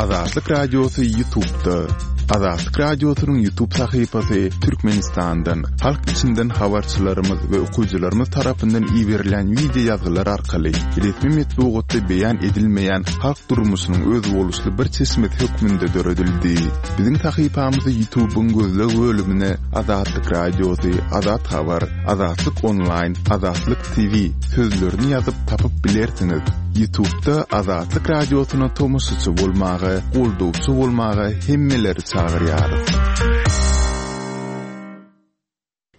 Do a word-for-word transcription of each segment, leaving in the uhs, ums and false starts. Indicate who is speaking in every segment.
Speaker 1: Azatlyk Radiosy YouTube'da. Azatlyk Radiosynyň YouTube sahypasy Türkmenistandan, halk içinden habarçylarymyz we okyjylarymyz tarapyndan iberilen wideo ýazgylar arkaly resmi metbugatda beýan edilmeýän halk durmuşynyň özboluşly bir çeşmesi hökmünde döredildi. Biziň sahypamyzy YouTube'yň gözleg bölümine Azatlyk Radiosy, Azat Habar, Azatlyk Online, Azatlyk T V sözlerini ýazyp tapyp bilersiňiz. YouTube'da Azatlyk Radiosyna tomaşaçy bolmaga, goldawçy bolmaga hemmeleri çagyrýarys.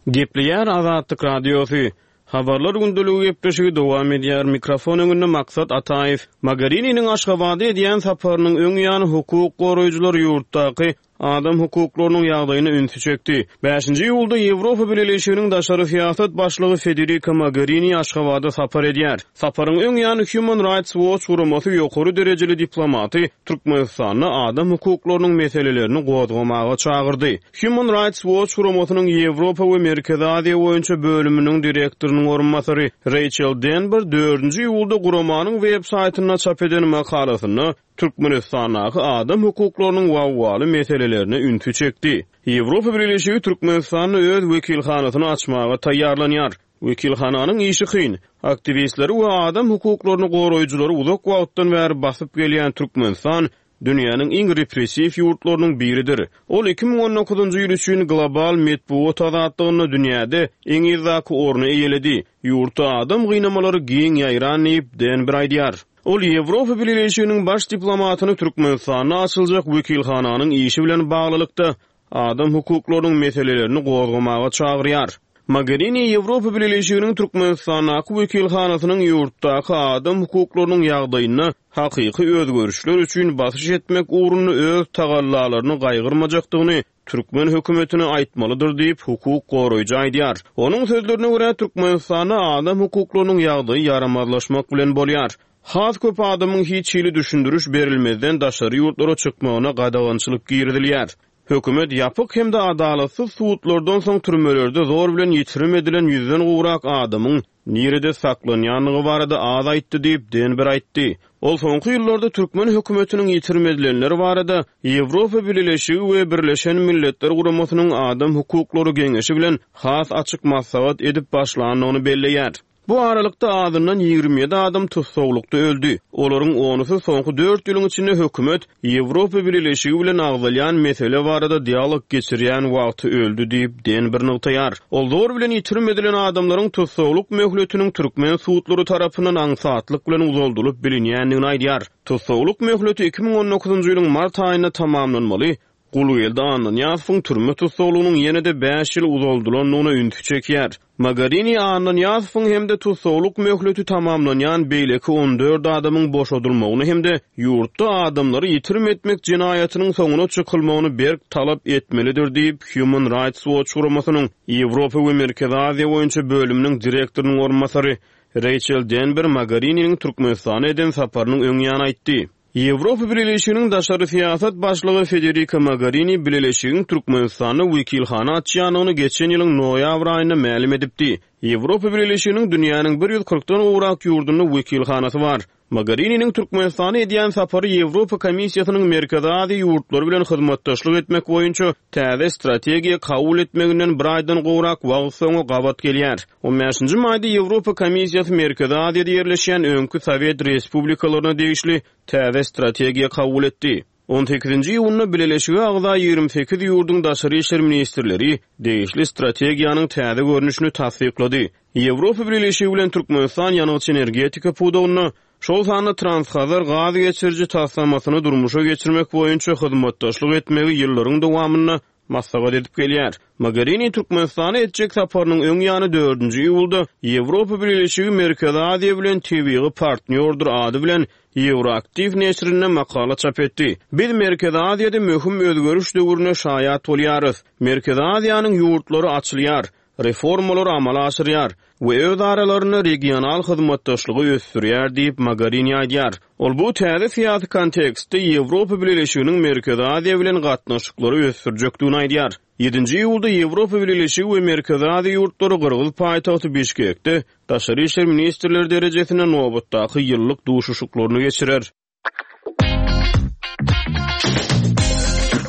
Speaker 2: Gepleýär Azatlyk Radiosy. Habarlar gündeligi gepleşigi dowam edýär. Mikrofon öňünde Maksat Ataýew. Mogherininiň Aşgabada edýän saparynyň öň ýany hukuk goraýjylar ýurtdaky adam hukuklarynyň ýagdaýyna ünsi çekdi. Bäşinji iýulda Ýewropa Bileleşiginiň daşary syýasat başlygy Federica Mogherini Aşgabada sapar edýär. Saparyň öň ýany Human Rights Watch guramasy ýokary derejeli diplomaty Türkmenistanda adam hukuklarynyň meselelerini gozgamaga çagyrdy. Human Rights Watch guramasynyň Ýewropa we Merkezi Aziýa boýunça bölüminiň direktorynyň orunbasary Rachel Denber dördünji iýulda guramanyň web saýtynda çap eden makalasynda Türkmenistandaky adam hukuklarynyň wawwaly meselelerine ünsi çekdi. Ýewropa Bileleşigi Türkmenistanda öz wekilhanasyny açmaga taýýarlanýar. Wekilhananyň işi kyn. Aktiwistleri we adam hukuklaryny goraýjylary uzak wagtdan bäri basyp gelýän Türkmenistan dünýäniň iň repressiw ýurtlarynyň biridir. Ol iki müň on dokuzynjy ýyl üçin global metbugat azatlygynda dünýäde iň yzdaky orny eýeledi. Ýurtda adam gynamalary giň ýaýran diýip Denber aýdýar. Ol Ýewropa Bileleşiginiň baş diplomatyny Türkmenistanda açyljak wekilhananyň işi bilen baglylykda adam hukuklarynyň meselelerini gozgamaga çagyrýar. Mogherini Ýewropa Bileleşiginiň Türkmenistandaky wekilhanasynyň ýurtdaky adam hukuklarynyň ýagdaýyna hakyky özgerişler üçin basyş etmek ugrunda öz tagallalaryny gaýgyrmajakdygyny Türkmen hökümetine aýtmalydyr diýip hukuk goraýjy aýdýar. Onuň sözlerine görä Türkmenistanda adam hukuklarynyň ýagdaýy ýaramazlaşmak bilen bolýar. Has köp adamyň hiç hili düşündiriş berilmezden daşary ýurtlara çykmagyna gadagançylyk girizilýär. Hökümet ýapyk hem-de adalatsyz sudlardan soň türmelerde zor bilen ýitirim edilen ýüzden gowrak adamyň nirede saklanýandygy barada az aýtdy diýip Denber aýtdy. Ol soňky ýyllarda Türkmen hökümetiniň ýitirim edilenleri barada Ýewropa Bileleşigi we Birleşen Milletler Guramasynyň Adam Hukuklary Geňeşi bilen has açyk maslahat edip başlandygyny belleýär. Bu aralykda azyndan ýigrimi ýedi adam tussaglykda öldi. Olaryň onusy soňky dört ýylyň içinde hökümet Ýewropa Bileleşigi bilen agzalýan mesele barada dialog geçirýän wagty öldi diýip Denber nygtaýar. Ol zor bilen ýitirim edilen adamlaryň tussaglyk möhletiniň türkmen sudlary tarapyndan aňsatlyk bilen uzaldylyp bilinýändigini aýdýar. Tussaglyk möhleti iki müň on dokuzynjy ýylyň mart aýynda tamamlanmaly. Gulgeldi Annanyýazowyň türme tussaglygynyň ýene-de bäş ýyl uzaldylandygyna ünsi çekýär. Mogherini Annanyýazowyň hem-de tussaglyk möhleti tamamlanýan beýleki on dört adamyň boşadylmagyny hem-de ýurtda adamlary ýitirim etmek jenaýatynyň soňuna çykylmagyny berk talap etmelidir diýip Human Rights Watch guramasynyň Ýewropa we Merkezi Aziýa boýunça bölüminiň direktorynyň orunbasary Rachel Denber Mogherininiň Türkmenistana eden saparynyň öň ýany aýtdy. Ýewropa Bileleşiginiň daşary syýasat başlygy Federica Mogherini Bileleşigiň Türkmenistanda wekilhana açýandygyny geçen ýylyň noýabr aýynda mälim edipdi. Ýewropa Bileleşiginiň dünýäniň bir ýüz kyrkdan gowrak ýurdunda wekilhanasy bar. Mogherininiň Türkmenistana edýän sapary Ýewropa Komissiýasynyň Merkezi Aziýa ýurtlary bilen hyzmatdaşlyk etmek boýunça täze strategiýa kabul etmeginden bir aýdan gowrak wagt soňa gabat gelýär. on bäşinji maýda Ýewropa Komissiýasy Merkezi Aziýada ýerleşýän öňki Sowet Respublikalaryna degişli täze strategiýa kabul etdi. on sekizinji iýunda Bileleşige agza ýigrimi sekiz ýurduň daşary işler ministrleri degişli strategiýanyň täze görnüşini tassyklady. Ýewropa Bileleşigi bilen Türkmenistan ýangyç energetika pudagynda şol sanda Transhazar gaz geçiriji taslamasyny durmuşa geçirmek boýunça hyzmatdaşlyk etmegi ýyllaryň dowamynda maslahat edip gelýär. Mogherini Türkmenistana etjek saparynyň öň ýany dördünji iýulda Ýewropa Bileleşigi Merkezi Aziýa bilen tebigy partnýordyr ady bilen Ýewroaktiw neşirinde makala çap etdi. Biz Merkezi Aziýada möhüm özgeriş döwrüne şaýat bolýarys. Merkezi Aziýanyň ýurtlary açylýar, reformalar amala aşyrýar we öz aralarynda regional hyzmatdaşlygy ösdürýär diýip Mogherini aýdýar. Ol bu täze syýasy kontekstde Ýewropa Bileleşiginiň Merkezi Aziýa bilen gatnaşyklary ösdürjekdigini aýdýar. Ýedinji iýulda Ýewropa Bileleşigi we Merkezi Aziýa ýurtlary Gyrgyz paýtagty Bişkekde daşary işler ministrleri derejesinde nobatdaky ýyllyk duşuşyklaryny geçirer.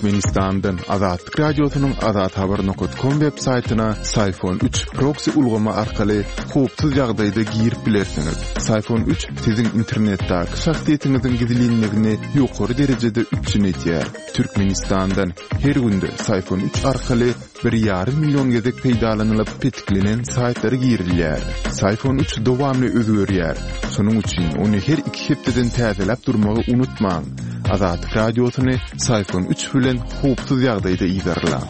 Speaker 1: Türkmenistandan Azatlyk Radiosynyň azathabar.com web saýtyna Psiphon üç proksi ulgamy arkaly howpsuz ýagdaýda girip bilersiňiz. Psiphon üç siziň internetdäki şahsyýetiňiziň gizlinligini ýokary derejede üpjün edýär. Türkmenistandan her günde Psiphon üç arkaly bir ýarym million gezek peýdalanylyp petiklenen saýtlara girilýär. Psiphon üç dowamly özgerýär. Şonuň üçin ony her iki hepdeden täzeläp durmagy unutmaň. Azatlyk Radiosyny Psiphon üç bilen howpsuz ýagdaýda yzarlaň.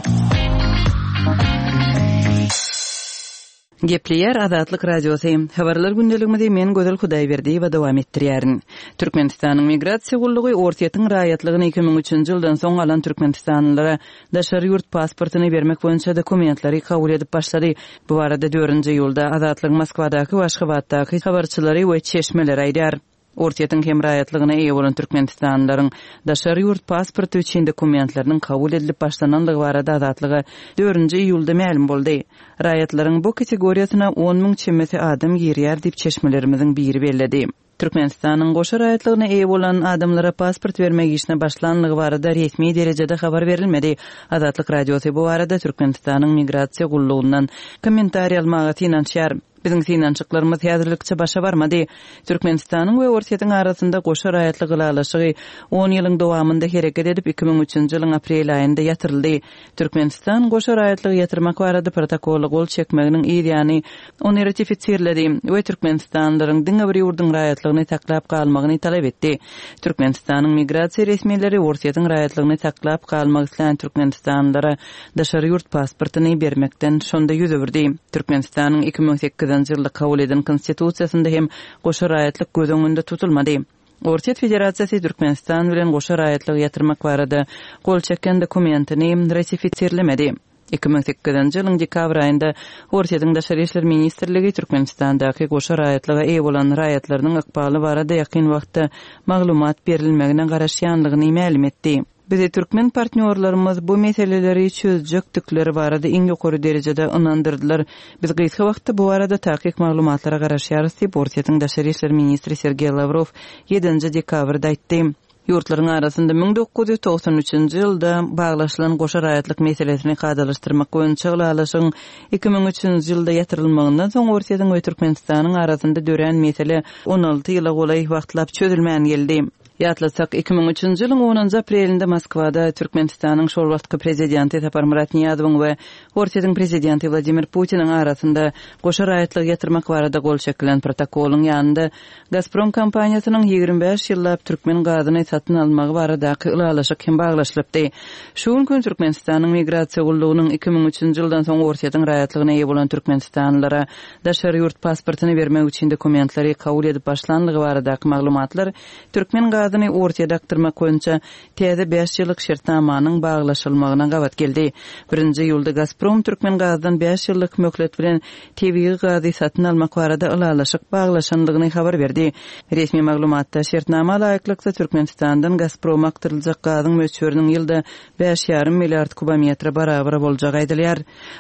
Speaker 3: Gepleýär Azatlyk Radiosy. Habarlar gündeligimizi men Gözel Hudaýberdiýewa dowam etdirýärin. Türkmenistanyň Migrasiýa gullugy Orsýetiň raýatlygyny iki müň üçünji ýyldan soň alan türkmenistanlylara daşary ýurt pasportyny bermek boýunça dokumentleri kabul edip başlady. Bu barada dördünji iýulda Azatlygyň Moskwadaky we Aşgabatdaky habarçylary we çeşmeleri aýdýar. Orsýetiň hem raýatlygyna eýe bolan türkmenistanlylaryň daşary ýurt pasporty üçin dokumentleriniň kabul edilip başlanandygy barada Azatlyga dördünji iýulda mälim boldy. Raýatlaryň bu kategoriýasyna on müň çemesi adam girýär diýip çeşmelerimiziň biri belledi. Türkmenistanyň goşa raýatlygyna eýe bolan adamlara pasport bermek işine başlanlygy barada resmi derejede habar berilmedi. Azatlyk Radiosy bu barada Türkmenistanyň Migrasiýa gullugyndan kommentariý almaga synanyşýar. Biziň synanyşyklarymyz häzirlikçe başa barmady. Türkmenistanyň we Orsýetiň arasynda goşa raýatlyk ylalaşygy on ýylyň dowamynda hereket edip iki müň üçünji ýylyň aprel aýynda ýatyryldy. Türkmenistan goşa raýatlygy ýatyrmak barada protokola gol çekmeginiň yz ýany ony ratifisirledi we türkmenistanlylaryň diňe bir ýurduň raýatlygyny saklap galmagyny talap etdi. Türkmenistanyň migrasiýa resmileri Orsýetiň raýatlygyny saklap galmak islän türkmenistanlylara daşary ýurt pasportyny bermekden şonda ýüz öwürdi. Türkmenistanyň iki müň sekizinji ýylda kabul eden konstitusiýasynda hem goşa raýatlyk göz öňünde tutulmady. Orsýet Federasiýasy Türkmenistan bilen goşa raýatlygy ýatyrmak barada gol çeken dokumentini ratifisirlemedi. Iki müň sekizinji ýylyň dekabr aýynda Orsýetiň Daşary işler ministrligi Türkmenistandaky goşa raýatlyga eýe bolan raýatlarynyň ykbaly barada ýakyn wagtda maglumat berilmegine garaşýanlygyny mälim etdi. Bizi türkmen partnýorlarymyz bu meseleleri çözjekdikleri barada iň ýokary derejede ynandyrdylar. Biz gysga wagtda bu barada takyk maglumatlara garaşýarys diýip Orsýetiň Daşary işler ministri Sergey Lavrov ýedinji dekabrda aýtdy. Ýurtlaryň arasynda müň dokuz ýüz togsan üçünji ýylda baglaşylan goşa raýatlyk meselesini kadalaşdyrmak boýunça ylalaşygyň iki müň üçünji ýylda ýatyrylmagyndan soň Orsýetiň we Türkmenistanyň arasynda dörän mesele on alty ýyla golaý wagtlap çözülmän geldi. Ýatlasak, iki müň üçünji ýylyň onunjy aprelinde Moskwada Türkmenistanyň şol wagtky prezidenti Saparmyrat Niýazowyň we Orsýetiň prezidenti Wladimir Putiniň arasynda goşa raýatlygy ýatyrmak barada gol çekilen protokolyň ýanynda Gazprom kompaniýasynyň ýigrimi bäş ýyllap türkmen gazyny satyn almagy baradaky ylalaşyk hem baglaşylypdy. Şu gün Türkmenistanyň Migrasiýa gullugynyň iki müň üçünji ýyldan soň Orsýetiň raýatlygyna eýe bolan türkmenistanlylara daşary ýurt pasportyny bermek üçin dokumentleri kabul edip başlanlygy baradaky maglumatlar türkmen gazyny Orsýete akdyrmak boýunça täze bäş ýyllyk şertnamanyň baglaşylmagyna gabat geldi. Birinji iýulda Gazprom türkmen gazdan bäş ýyllyk möhlet bilen tebigy gazy satyn almak barada ylalaşyk baglaşanlygyny habar berdi. Resmi maglumatda şertnama laýyklykda Türkmenistandan Gazprom akdyryljak gazyň möçberiniň ýylda bäş ýarym milliard kubometre barabar boljagy aýdylýar.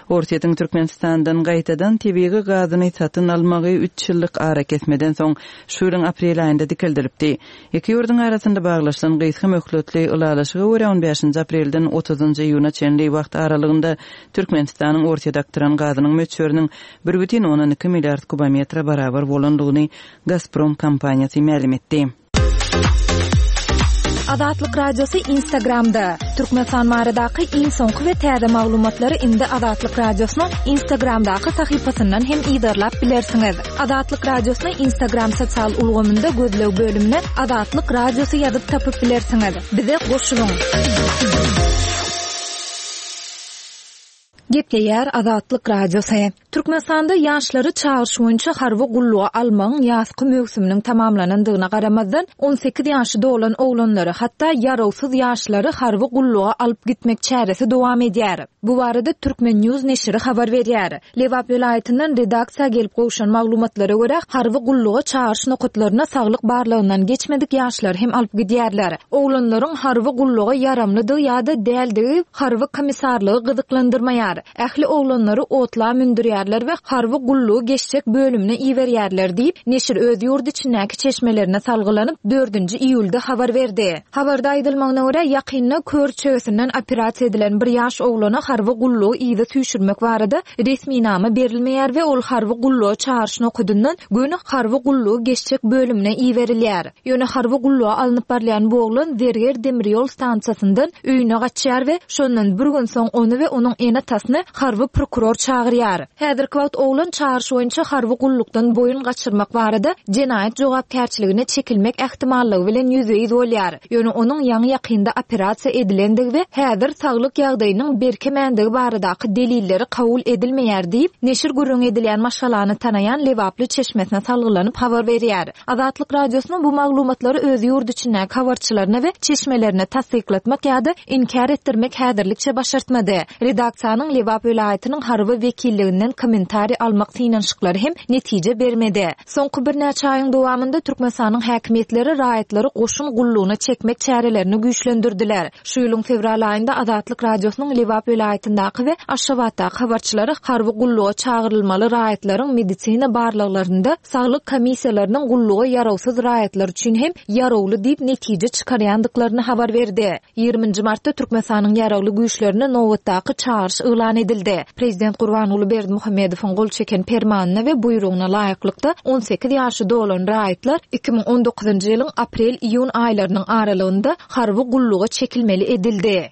Speaker 3: Orsýetiň Türkmenistandan gaýtadan tebigy gazyny satyn almagy üç ýyllyk ara kesmeden soň şu ýylyň aprel aýynda dikeldilipdi. Iki ýurduň arasynda baglaşylan gysga möhletli ylalaşyga görä on bäşinji aprelden otuzynjy iýuna çenli wagt aralygynda Türkmenistanyň Orsýete akdyran gazynyň möçberiniň bir bütin ondan iki milliard kubometre barabar bolandygyny Gazprom kompaniýasy mälim etdi.
Speaker 4: Azatlyk Radiosy Instagramda. Türkmenistan baradaky iň soňky we täze maglumatlary indi Azatlyk Radiosynyň Instagramdaky sahypasyndan hem yzarlap bilersiňiz. Azatlyk Radiosyny Instagram sosial ulgamynda gözleg bölümine Azatlyk Radiosy ýazyp tapyp bilersiňiz. Bize goşulyň. Gepleýär Azatlyk Radiosy. Türkmenistanda ýaşlary çagyryş boýunça harby gulluga almagyň ýazky möwsüminiň tamamlanandygyna garamazdan on sekiz ýaşy dolan oglanlary, hatda ýarawsyz ýaşlary harby gulluga alyp gitmek çäresi dowam edýär. Bu barada Türkmen News neşiri habar berýär. Lebap welaýatyndan redaksiýa gelip gowşan maglumatlara görä, harby gulluga çagyryş nokatlaryna saglyk barlagyndan geçmedik ýaşlar hem alyp gidýärler. Oglanlaryň harby gulluga ýaramlydygy ýa-da däldigi harby komissarlygy gyzyklandyrmaýar. Ähli oglanlary otla mündürýärler we harby gullugy geçjek bölümine iberýärler diýip, neşir öz ýurt içindäki çeşmelerine salgylanyp, dördünji iýulda habar berdi. Habarda aýdylmagyna görä, ýakynda kör çöwesinden operasiýa edilen bir ýaş oglana harby gullugy yza süýşürmek barada resminama berilmeýär we ol harby gulluga çagyryş nokadyndan göni harby gullugy geçjek bölümine iberilýär. Ýöne harby gulluga alnyp barylýan bu oglan Zerger demir ýol stansiýasyndan öýüne gaçýar we şondan bir gün soň ony we onuň ene-atasyny harby prokuror çagyrýar. Häzirki wagt oglan çagyryş boýunça harby gullukdan boýun gaçyrmak barada jenaýat jogapkärçiligine çekilmek ähtimallygy bilen ýüzbe-ýüz bolýar. Ýöne onuň ýaňy ýakynda operasiýa edilendigi we häzir saglyk ýagdaýynyň berkemändigi baradaky delilleri kabul edilmeýär diýip, neşir gürrüň edilýän maşgalany tanaýan Lebaply çeşmesine salgylanyp habar berýär. Azatlyk Radiosynyň bu maglumatlary öz ýurt içindäki habarçylaryna we çeşmelerine tassyklatmak ýa-da inkär etdirmek häzirlikçe başartmady. Redaksiýanyň Lebap welaýatynyň harby wekilliginden kommentariý almak synanyşyklary hem netije bermedi. Soňky birnäçe aýyň dowamynda Türkmenistanyň häkimiýetleri raýatlary goşun gullugyna çekmek çärelerini güýçlendirdiler. Şu ýylyň fewral aýynda Azatlyk Radiosynyň Lebap welaýatyndaky we Aşgabatdaky habarçylary harby gulluga çagyrylmaly raýatlaryň medisina barlaglarynda saglyk komissiýalarynyň gulluga ýarawsyz raýatlar üçin hem ýarawly diýip netije çykarýandyklaryny habar berdi. Ýigriminji martda Türkmenistanyň ýaragly güýçlerine nobatdaky çagyryş yglan edildi. Prezident Gurbanguly Berdimuhamedowyň gol çeken permanyna we buýrugyna laýyklykda on sekiz ýaşy dolan raýatlar iki müň on dokuzynjy ýylyň aprel-iýun aýlarynyň aralygynda harby gulluga çekilmeli edildi.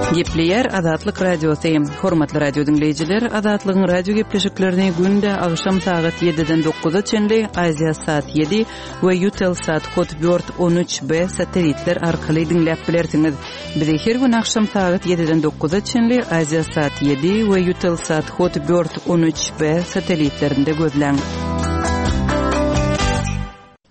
Speaker 3: Gepleýär Azatlyk Radiosy. Hormatly radio diňleýjiler, Azatlygyň radio gepleşiklerini günde agşam sagat ýediden dokuza çenli Aziasat ýedi we Eutelsat Hotbird on üç B satelitler arkaly diňläp bilersiňiz. Bizi her gün agşam sagat ýediden dokuza çenli Aziasat ýedi we Eutelsat Hotbird on üç B satelitlerinde gözläň.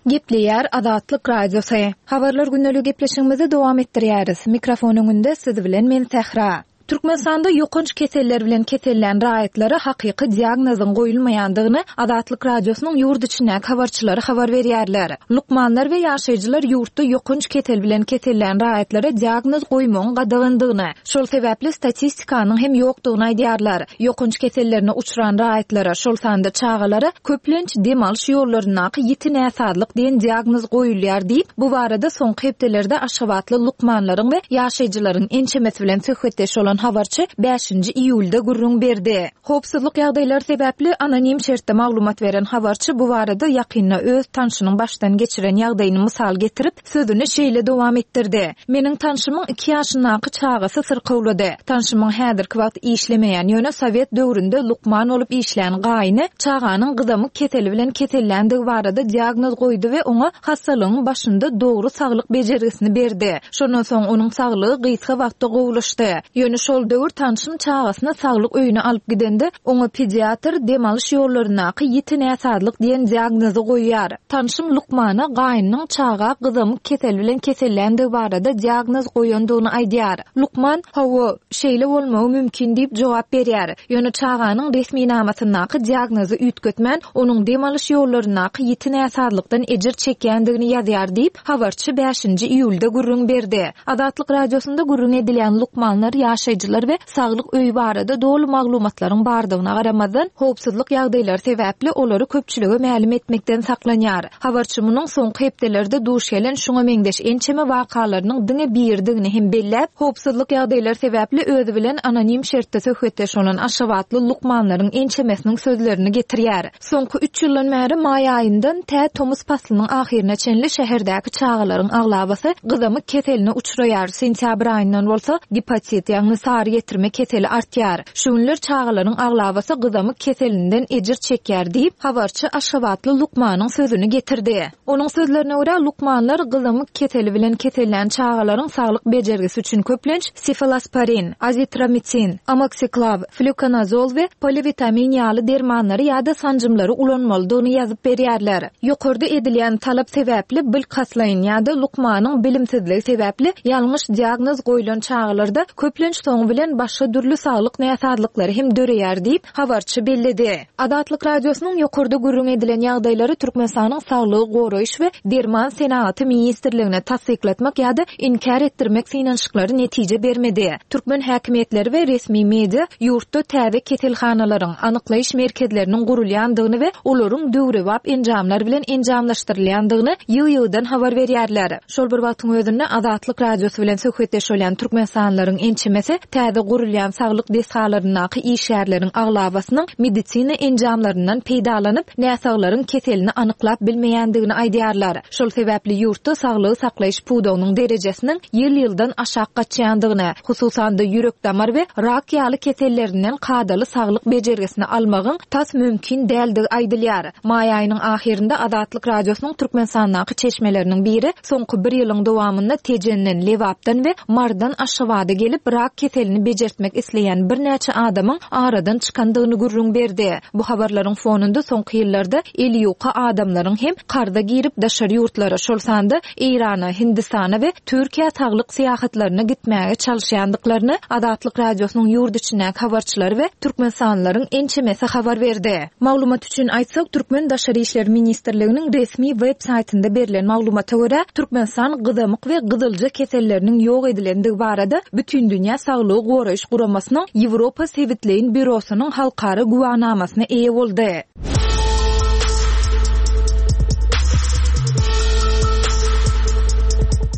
Speaker 4: Gepleýär Azatlyk Radiosy. Habarlar gündelik gepleşigimizi dowam etdirýäris. Mikrofon öňünde siz bilen men Sähra. Türkmenistanda ýokanç keseller bilen kesellän raýatlara hakyky diagnozyň goýulmaýandygyny Azatlyk Radiosynyň ýurt içindäki habarçylary habar berýärler. Lukmanlar we ýaşaýjylar ýurtda ýokanç kesel bilen kesellän raýatlara diagnoz goýmagyň gadagandygyny, şol sebäpli statistikanyň hem ýokdugyny aýdýarlar. Ýokanç kesellerine uçran raýatlara, şol sanda çagalara köplenç dem alyş ýollaryndaky ýiti näsazlyk diýen diagnoz goýulýar diýip, bu barada soňky hepdelerde Aşgabatly lukmanlaryň we ýaşaýjylaryň ençemesi bilen söhbetdeş bolan habarçy bäşinji iýulda gürrüň berdi. Howpsuzlyk ýagdaýlary sebäpli anonim şertde maglumat beren habarçy bu barada ýakynda öz tanşynyň başdan geçiren ýagdaýyny mysal getirip, sözüni şeýle dowam etdirdi. Meniň tanşymyň iki ýaşyndaky çagasy syrkawlady. Tanşymyň häzirki wagt işlemeýän, ýöne Sowet döwründe lukman bolup işlän gaýyny çaganyň gyzamyk keseli bilen kesellendigi barada diagnoz goýdy we oňa hassalygyň başynda dogry saglyk bejergisini berdi. Şondan soň onuň saglygy gysga wagtda gowulaşdy. Ýöne şol döwür tanşym çagasyny saglyk öýüne alyp gidende, oňa pediatr dem alyş ýollaryndaky ýiti näsazlyk diýen diagnozy goýýar. Tanşym lukmana gaýynyň çaga gyzamyk kesel bilen kesellendigi barada diagnoz goýandygyny aýdýar. Lukman, hawa, şeýle bolmagy mümkin diýip jogap berýär. Ýöne çaganyň resminamasyndaky diagnozy üýtgetmän, onuň dem alyş ýollaryndaky ýiti näsazlykdan ejir çekýändigini ýazýar diýip, habarçy bäşinji iýulda gürrüň berdi. Azatlyk Radiosynda gürrüň edilýän lukmanlar, ýaşaýjylar we saglyk öýi barada doly maglumatlaryň bardygyna garamazdan, howpsuzlyk ýagdaýlary sebäpli olary köpçülige mälim etmekden saklanýar. Habarçy munuň soňky hepdelerde duş gelen şuňa meňzeş ençeme wakalarynyň diňe birdigini hem belläp, howpsuzlyk ýagdaýlary sebäpli özi bilen anonim şertde söhbetdeş bolan Aşgabatly lukmanlaryň ençemesiniň sözlerini getirýär. Soňky üç ýyldan bäri maý aýyndan tä tomus paslynyň ahyryna çenli şäherdäki çagalaryň aglabasy gyzamyk keseline uçraýar. Sentýabr aýyndan bolsa gepatit, ýagny sary getirme keseli artýar. Şu günler çagalaryň aglabasy gyzamyk keselinden ejir çekýär diýip, habarçy Aşgabatly lukmanyň sözüni getirdi. Onuň sözlerine görä, lukmanlar gyzamyk keseli bilen kesellän çagalaryň saglyk bejergisi üçin köplenç sefalosporin, azitromisin, amoksiklav, flukonazol we polivitamin ýaly dermanlary ýa-da sanjymlary ulanmalydygyny ýazyp berýärler. Ýokarda edilýän talap sebäpli bilkaslaýyn ýa-da lukmanyň bilimsizligi sebäpli ýalňyş diagnoz goýlan çagalarda köplenç soňra Soňy bilen başga dürli saglyk näsazlyklary hem döreýär diýip, habarçy belledi. Azatlyk Radiosynyň ýokarda gürrüň edilen ýagdaýlary Türkmenistanyň Saglygy goraýyş we derman senagaty ministrligine tassyklatmak ýa-da inkär etdirmek synanyşyklary netije bermedi. Türkmen häkimiýetleri we resmi media ýurtda täze keselhanalaryň, anyklaýyş merkezleriniň gurulýandygyny we olaryň döwrebap enjamlar bilen enjamlaşdyrylýandygyny ýygy-ýygydan habar berýärler. Şol bir wagtyň özünde Azatlyk Radiosy bilen söhbetdeş bolýan türkmenistanlylaryň ençemesi täze gurulýan saglyk desgalaryndaky işgärleriň aglabasynyň medisina enjamlaryndan peýdalanyp, näsaglaryň keselini anyklap bilmeýändigini aýdýarlar. Şol sebäpli ýurtda saglygy saklaýyş pudagynyň derejesiniň ýyl-ýyldan aşak gaçýandygyny, hususan-da ýürek-damar we rak ýaly kesellerinden kadaly saglyk bejergisini almagyň tas mümkin däldigi aýdylýar. Maý aýynyň ahyrynda Azatlyk Radiosynyň Türkmenistandaky çeşmeleriniň biri soňky bir ýylyň dowamynda Tejenden, Lebapdan we Marydan Aşgabada gelip rak keselini bejertmek isleýän birnäçe adamyň aradan çykandygyny gürrüň berdi. Bu habarlaryň fonunda soňky ýyllarda eli ýuka adamlaryň hem karza girip daşary ýurtlara, şol sanda Eýrana, Hindistana we Türkiýä saglyk syýahatlaryna gitmäge çalyşýandyklaryny Azatlyk Radiosynyň ýurt içindäki habarçylary we türkmenistanlylaryň ençemesi habar berdi. Maglumat üçin aýtsak, Türkmen Daşary işler ministrliginiň resmi web saýtynda berlen maglumata görä, Türkmenistan gyzamyk we gyzylja keselleriniň ýok edilendigi barada Bütindünýä Saglygy Goraýyş Guramasynyň Ýewropa sebitleýin býurosynyň halkara güwänamasyna eýe boldy.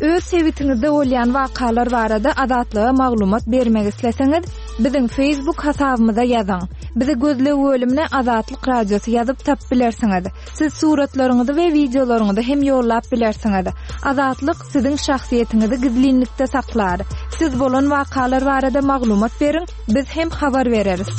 Speaker 4: Öz sebitiňizde bolýan wakalar barada Azatlyga maglumat bermek isleseňiz, biziň Facebook hasabymyza ýazyň. Bizi gözleg bölümine Azatlyk Radiosy ýazyp tapyp bilersiňiz. Siz suratlaryňyzy we wideolaryňyzy hem ýollap bilersiňiz. Azatlyk siziň şahsyýetiňizi gizlinlikde saklar. Siz bolan wakalar barada maglumat beriň, biz hem habar bereris.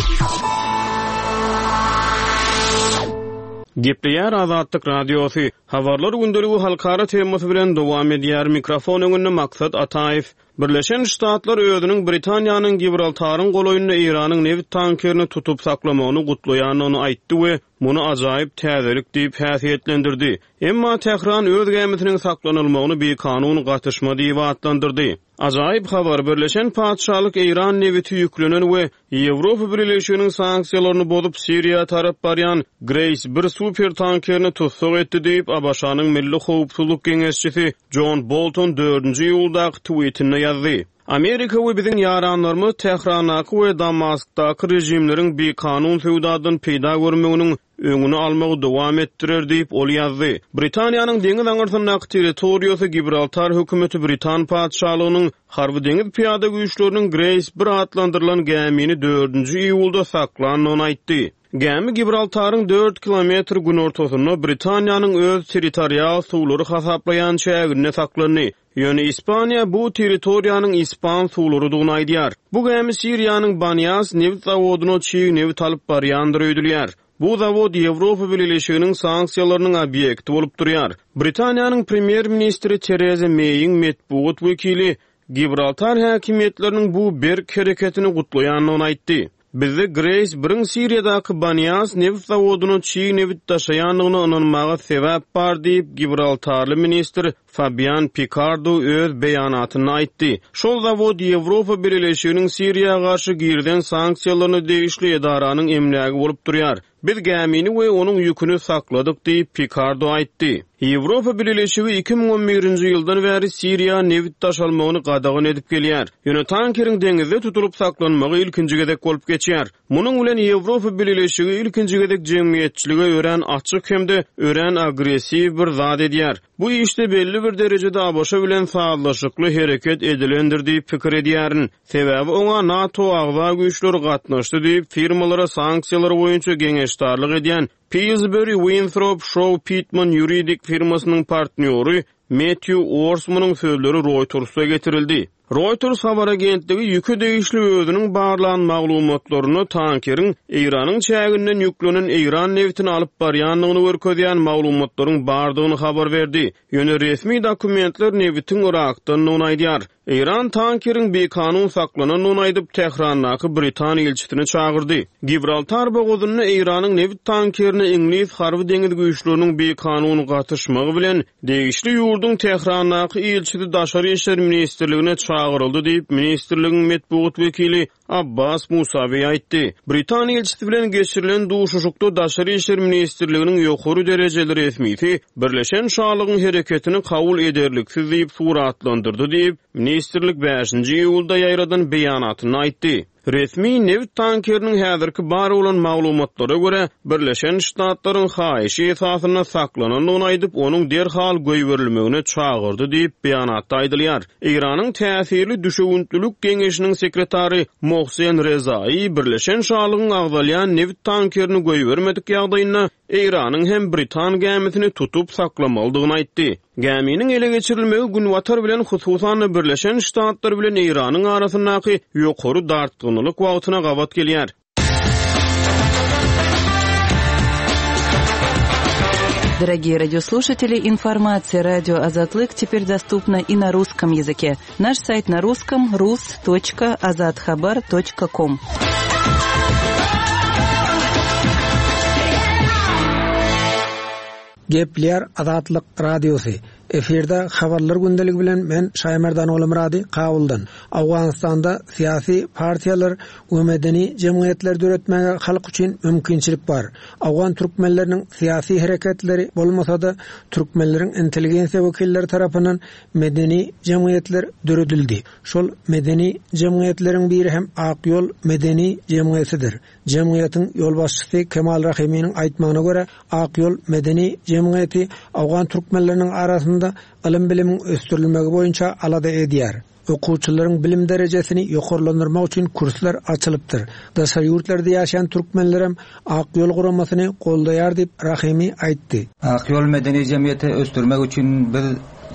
Speaker 2: Gepleýär Azatlyk Radiosy. Habarlar gündeligi halkara temasy bilen dowam edýär. Mikrofon öňünde Maksat Ataýew. Birleşen Ştatlar özüniň Britaniýanyň Gibraltaryň golaýynda Eýranyň nebit tankerini tutup saklamagyny gutlaýandygyny aýtdy we muny ajaýyp täzelik diýip häsiýetlendirdi. Emma Tähran öz gämisiniň saklanylmagyny bikanun gatyşma diýip atlandyrdy. Ajaýyp habar, Birleşen Patyşalyk Eýran nebiti ýüklenen we Ýewropa Birleşiginiň sanksiýalaryny bozup Siriýa tarap barýan Grace bir super tankerini tussag etdi diýip, ABŞ-nyň Milli Howpsuzlyk Geňeşçisi John Bolton dördünji iýuldaky tweetinde ýazdy. Amerika we biziň ýaranlarymyz Tährandaky we Damaskdaky režimleriň bikanun söwdadan peýda görmeginiň öňüni almagy dowam etdirer diýip ol ýazdy. Britaniýanyň deňiz aňyrsyndaky territoriýasy Gibraltar hökümeti Britan patyşalygynyň harby deňiz pyýada güýçleriniň Grace bir atlandyrylan gämini dördünji iýulda saklandygyny aýtdy. Gämi Gibraltaryň dört kilometr günortasynda Britaniýanyň öz territorial suwlary hasaplaýan çäginde saklandy. Ýöne Ispaniýa bu territoriýanyň ispan suwlarydygyny aýdýar. Bu gämi Siriýanyň Banias nebit zawodyna çig nebit alyp barýandyr öýdülýär. Bu zawod Ýewropa Birleşiginiň sanksiýalarynyň obýekti bolup durýar. Britaniýanyň premýer-ministri Tereza Meýiň metbugat wekili Gibraltar häkimiýetleriniň bu berk hereketini gutlaýandygyny aýtdy. Bizde Grace biriň Siriýadaky Banias nebit zawodyna çig nebit daşaýandygyna ynanmaga sebäp bar diýip Gibraltarly ministr Fabian Picardo öz beýanatynda aýtdy. Şol zawod Ýewropa Birleşiginiň Siriýa garşy girizen sanksiýalaryna degişli edaranyň emlägi bolup durýar. Biz gämini we onuň ýüküni sakladyk diýip Picardo aýtdy. Ýewropa Birleşigi iki müň on birinji ýyldan bäri Siriýa nebit daşalmagyny gadagan edip gelýär. Ýöne tankeriň deňizde tutulyp saklanmagy ilkinji gezek bolup geçýär. Munuň bilen Ýewropa Birleşigi ilkinji gezek jemgyýetçilige örän açyk hem-de örän agressiw bir zat edýär. Bu işde belli bir derejede ABŞ bilen sazlaşykly hereket edilendir diýip pikir edýärin. Sebäbi oňa NATO agza güýçleri gatnaşdy diýip firmalara sanksiýalar boýunça geňeşdarlyk edýän Pillsbury Winthrop Shaw Pittman ýuridik firmasynyň partnýory Matthew Orsmanyň sözleri Reuters'a getirildi. Reuters habar agentligi ýüke degişli özüniň barlan maglumatlaryny tankeriň Eýranyň çäginden ýüklenen Eýran nebitini alyp barýandygyny görkezýän maglumatlaryň bardygyny habar berdi. Ýöne resmi dokumentler nebitiň Irakdandygyny aýdýar. Eýran tankeriň bikanun saklanandygyny aýdyp Tährandaky Britan ilçisini çagyrdy. Gibraltar bogazynda Eýranyň nebit tankerini meselesine Iňlis harby deňiz güýçleriniň bikanun gatyşmagy bilen degişli ýurduň Tährandaky ilçisi Daşary işler ministrligine çagyryldy diýip, ministrligiň metbugat wekili Abbas Musawi aýtdy. Britan ilçisi bilen geçirilen duşuşykda Daşary işler ministrliginiň ýokary derejeli resmisi Birleşen Şalygyň hereketini kabul ederliksiz diýip suratlandyrdy diýip, ministrlik bäşinji iýulda ýaýradan beýanatyny aýtdy. Resmi neft tankeriniň häzirki bar bolan maglumatlara görä Birleşen Ştatlaryň haýyşy esasynda saklanandygyny aýdyp, onuň derhal goýberilmegine çagyrdy diýip beýanatda aýdylýar. Eýranyň täsirli düşewüntlilik geňeşiniň sekretary Mohsen Rezai Birleşen Şalygyň agzalýan neft tankerini goýbermedik ýagdaýynda Eýranyň hem Britan gämisini tutup saklamalydygyny aýtdy. Gäminiň ele geçirilmegi Günbatar bilen hususan Birleşen Ştatlar bilen Eýranyň arasyndaky ýokary dartgynlyk wagtyna gabat gelýär.
Speaker 3: Дорогие радиослушатели, информация радио Азатлык теперь доступна и на русском языке. Наш сайт на русском rus точка azathabar точка ком.
Speaker 5: Gepleýär Azatlyk Radiosy. Efirde habarlar gündeligi bilen men Şaýmerdan Olamrady Kabuldan. Awganystanda syýasy partiýalar we medeni jemgyýetler döretmäge halk üçin mümkinçilik bar. Awgan türkmenleriniň syýasy hereketleri bolmasa-da türkmenleriň intelligensiýa wekilleri tarapyndan medeni jemgyýetler döredildi. Şol medeni jemgyýetleriň biri hem Ak Ýol medeni jemgyýetidir. Jemgyýetiň ýolbaşçysy Kemal Rahiminiň aýtmagyna görä Ak Ýol medeni jemgyýeti Awgan türkmenleriniň arasynda ylym bilimiň ösdürilmegi boýunça alada edýär. Okuwçylaryň bilim derejesini ýokarlandyrmak üçin kurslar açylypdyr. Daşary ýurtlarda ýaşaýan türkmenlerem Ak Ýol guramasyny goldaýar diýip Rahimi aýtdy.
Speaker 6: Ak Ýol medeni jemgyýeti ösdürmek üçin biz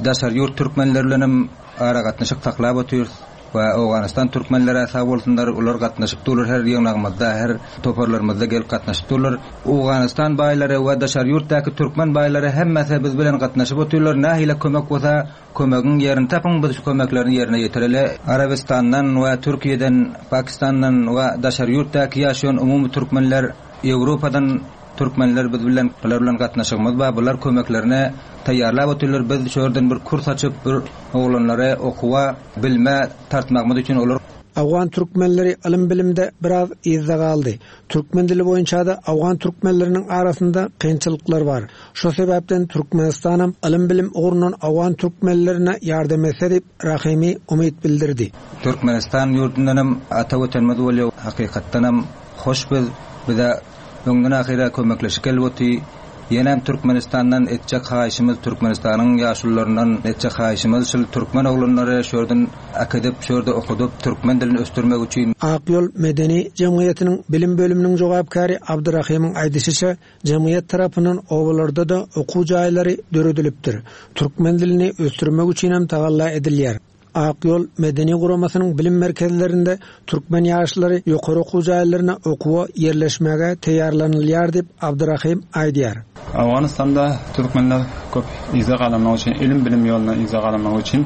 Speaker 6: daşary ýurt türkmenleri bilen hem aragatnaşyk saklap otyrys we Owganystan türkmenleri sag bolsunlar, ular gatnaşyp durlar her ýygnagymyzda, her toparlarymyzda gelip gatnaşyp durlar. Owganystan baýlary we daşary ýurtdaky türkmen baýlary hemmesi biz bilen gatnaşyp otyrlar. Nähili kömek bolsa kömegiň ýerini tapyň, biz şu kömeklerini ýerine ýetireli. Arabistandan we Türkiýeden, Pakistandan we daşary ýurtdaky ýaşaýan umumy türkmenler, Ýewropadan türkmenler biz bilen, bular bilen gatnaşygymyz bar. Bular kömeklerini taýýarlap otyrlar. Biz şu ýerden bir kurs açyp, bir oglanlara okuwa, bilme tartmagymyz üçin olar
Speaker 5: Awgan türkmenleri ylym bilimde biraz yzda galdy. Türkmen dili boýunça da Awgan türkmenleriniň arasynda kynçylyklar bar. Şo sebäpden Türkmenistanam ylym bilim ugrundan Awgan türkmenlerine ýardam etse diýip Rahimi umyt bildirdi.
Speaker 6: Türkmenistan ýurdundan hem ata watanymyz bolýar. Hakykatdan hem hoş biz bize öňden ahyra kömekleşik gelip Ýenem Türkmenistandan etjek haýyşymyz, Türkmenistanyň ýaşullaryndan etjek haýyşymyz şul türkmen oglanlary şörden akadep şörde okudup türkmen dilini ösdürmek üçin.
Speaker 5: Ak Ýol medeni jemgyýetiniň bilim bölüminiň jogapkary Abdurrahimyň aýdyşyça jemgyýet tarapyndan obalarda da okuw jaýlary döredilipdir. Türkmen dilini ösdürmek üçin hem tagalla edilýär. Ak Ýol medeni guramasynyň bilim merkezlerinde türkmen ýaşlary ýokary okuw jaýlaryna okuwa ýerleşmäge taýýarlanylýar diýip Abdurrahim aýdýar.
Speaker 7: Awganystanda türkmenler köp yza galanmak üçin, ilim bilim ýoluna yza galanmak üçin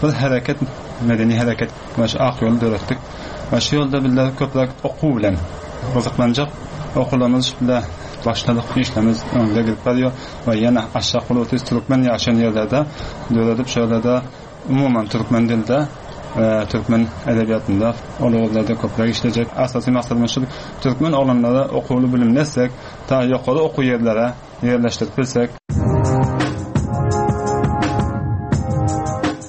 Speaker 7: bir hereket, medeni hereket we şu Ak Ýoly döretdik. We şu ýolda bizler köpräk okuw bilen gyzyklanjak okuwlarymyz bilen başladyk, işlerimiz öňde gidip barýar we ýene aşak bolup türkmen ýaşaýan ýerlerde döredip şöyle umuman türkmen dilde we türkmen edebiýatynda ol köpräk işlejek. Asasy maksadymyz şu türkmen oglanlara okuwly bilim etsek, ta ýokary okuw ýerlere ýerleşdirip bilsek.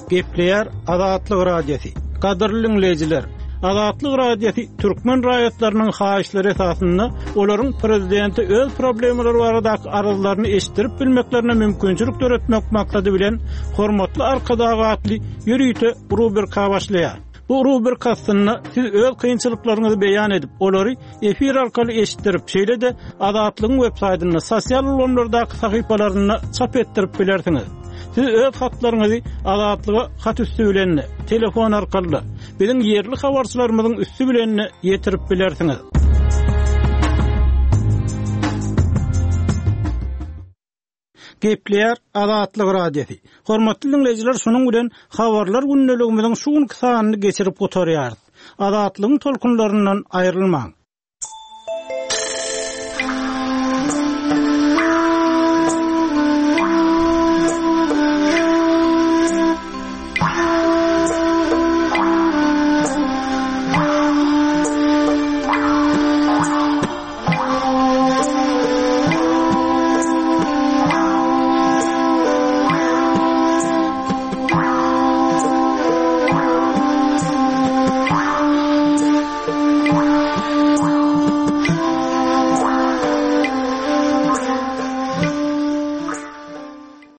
Speaker 8: Gepleýär Azatlyk Radiosy. Gadyrly dinleýjiler, Azatlyk Radiosy türkmen raýatlarynyň haýyşlary esasynda olaryň prezidenti öz problemalary baradaky arzlaryny eşitdirip bilmeklerine mümkinçilik döretmek maksady bilen hormatly Arkadag atly ýörite rubrika başlaýar. Bu rubrika aslynda siz öz kynçylyklaryňyzy beýan edip, olary efir arkaly eşitdirip, şeýle-de Azatlygyň web saýtynda, sosial ulgamlardaky sahypalarynda çap etdirip bilersiňiz. Siz öz hatlaryňyzy Azatlyga hat üstü bilen, telefon arkaly, biziň ýerli habarçylarymyzyň üstü bilen ýetirip bilersiňiz. Gepleýär Azatlyk Radiosy. Hormatly dinleýjiler, şunuň bilen habarlar gündeligimiziň şu günki sanyny geçirip gutarýarys. Azatlygyň tolkunlaryndan aýrylmaň.